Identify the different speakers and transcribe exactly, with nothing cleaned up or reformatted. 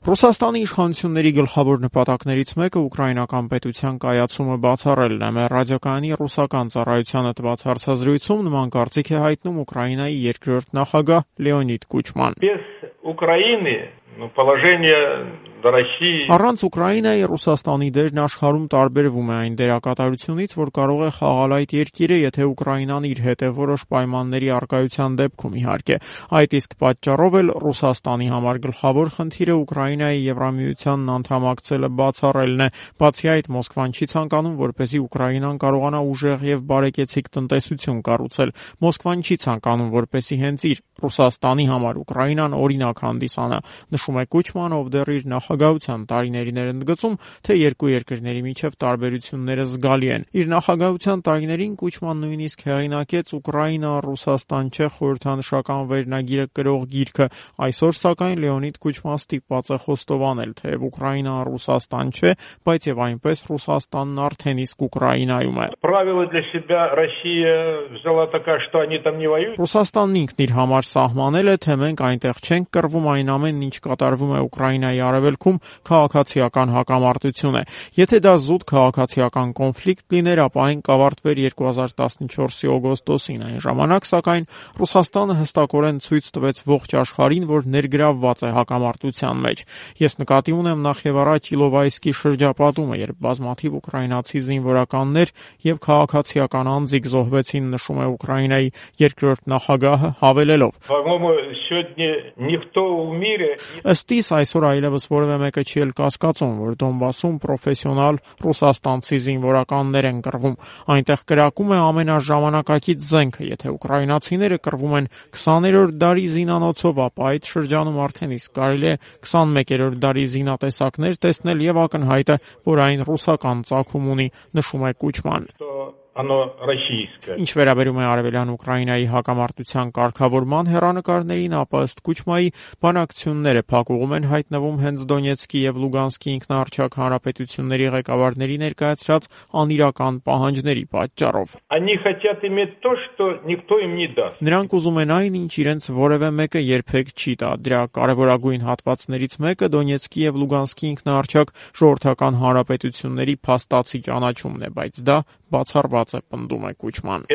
Speaker 1: Ռուսաստանի իշխանությունների գլխավոր նպատակներից մեկը ուկրաինական պետության կայացումը բացառելն է։ Մեր ռադիոկայանի ռուսական ծառայությանը տված հարցազրույցում նման կարծիք է հայտնում Ուկրաինայի երկրորդ նախագահ Լեոնիդ Կուչման։ Առանց Ուկրաինայի Ռուսաստանի դերն աշխարհում տարբերվում է այն դերակատարությունից, որ կարող է խաղալ այդ երկիրը, եթե Ուկրաինան իր հետ է որոշ պայմանների առկայության դեպքում, իհարկե։ Այդ իսկ պատճառով էլ Ռուսաստանի համար գլխավոր խնդիրը Ուկրաինայի Եվրամիությանն անդամակցելը բացառելն է։ Բացի այդ, Մոսկվան չի ցանկանում, որպեսզի Ուկրաինան կարողանա ուժեղ եւ բարեկեցիկ տնտեսություն կառուցել։ Մոսկվան չի ցանկանում, որպեսզի հենց իր Ռուսաստանի համար Ուկրաինան օրինակ հանդիսանա, նշում է Կուչմանը, ով դեռ իր նախագահության տարիներին էր ընդգծում, թե երկու երկրների միջև տարբերությունները զգալի են։ Իր նախագահության տարիներին Կուչման նույնիսկ հեղինակեց «Ուկրաինա, Ռուսաստան չէ» խորհրդանշական վերնագիրը կրող գիրքը։ Այսօր, սակայն, Լեոնիդ Կուչման ստիպված է խոստովանել, թեև Ուկրաինան Ռուսաստան չէ, բայց եւ այնպես Ռուսաստանն արդեն իսկ Ուկրաինայում է։ Ռուսաստանն ինքն իր համար սահմանել է, թե մենք այնտեղ չենք կռվում, այն ամենն, ինչ կատարվում է Ուկրաինայի արևելքում, քաղաքացիական հակամարտություն է։ Եթե դա զուտ քաղաքացիական կոնֆլիկտ լիներ, ապա այն կավարտվեր երկու հազար տասնչորսի օգոստոսին։ Այն ժամանակ, սակայն, Ռուսաստանը հստակորեն ցույց տվեց ողջ աշխարհին, որ ներգրավված է հակամարտության մեջ։ Ես նկատի ունեմ նախ եւ առաջ Իլովայսկի շրջապատումը, երբ բազմաթիվ ուկրաինացի զինվորականներ եւ քաղաքացիական անձիկ զոհվեցին, նշում է Ուկրաինայի երկրորդ նախագահը, հավելելով. Ըստ իս, այսօր այլևս որևէ մեկը չի էլ կասկածում, որ Դոնբասում պրոֆեսիոնալ ռուսաստանցի զինվորականներ են կռվում։ Այնտեղ կրակում է ամենաժամանակակից զենքը։ Եթե ուկրաինացիները կռվում են քսաներորդ դարի զինանոցով, ապա այդ շրջանում արդեն իսկ կարելի է քսանմեկերորդ դարի զինատեսակներ տեսնել եւ ակնհայտ է, որ այն ռուսական ծագում ունի, նշում է Կուչման։ Ինչ վերաբերում է արևելյան Ուկրաինայի հակամարտության կարգավորման հեռանկարներին, ապա ըստ Կուչմայի բանակցությունները փակուղում են հայտնվում հենց Դոնեցկի եւ Լուգանսկի ինքնաառաջակ հանրապետությունների ղեկավարների ներկայացրած անիրական պահանջների պատճառով։ Նրանք ուզում են այն, ինչ իրենց որևէ մեկը երբեք չի տա։ Դրա կարևորագույն հատվածներից մեկը Դոնեցկի եւ Լուգանսկի ինքնաառաջակ ժողովրդական հանրապետությունների փաստացի ճանաչումն է, բայց դա բացառված է, պնդում է Կուչման։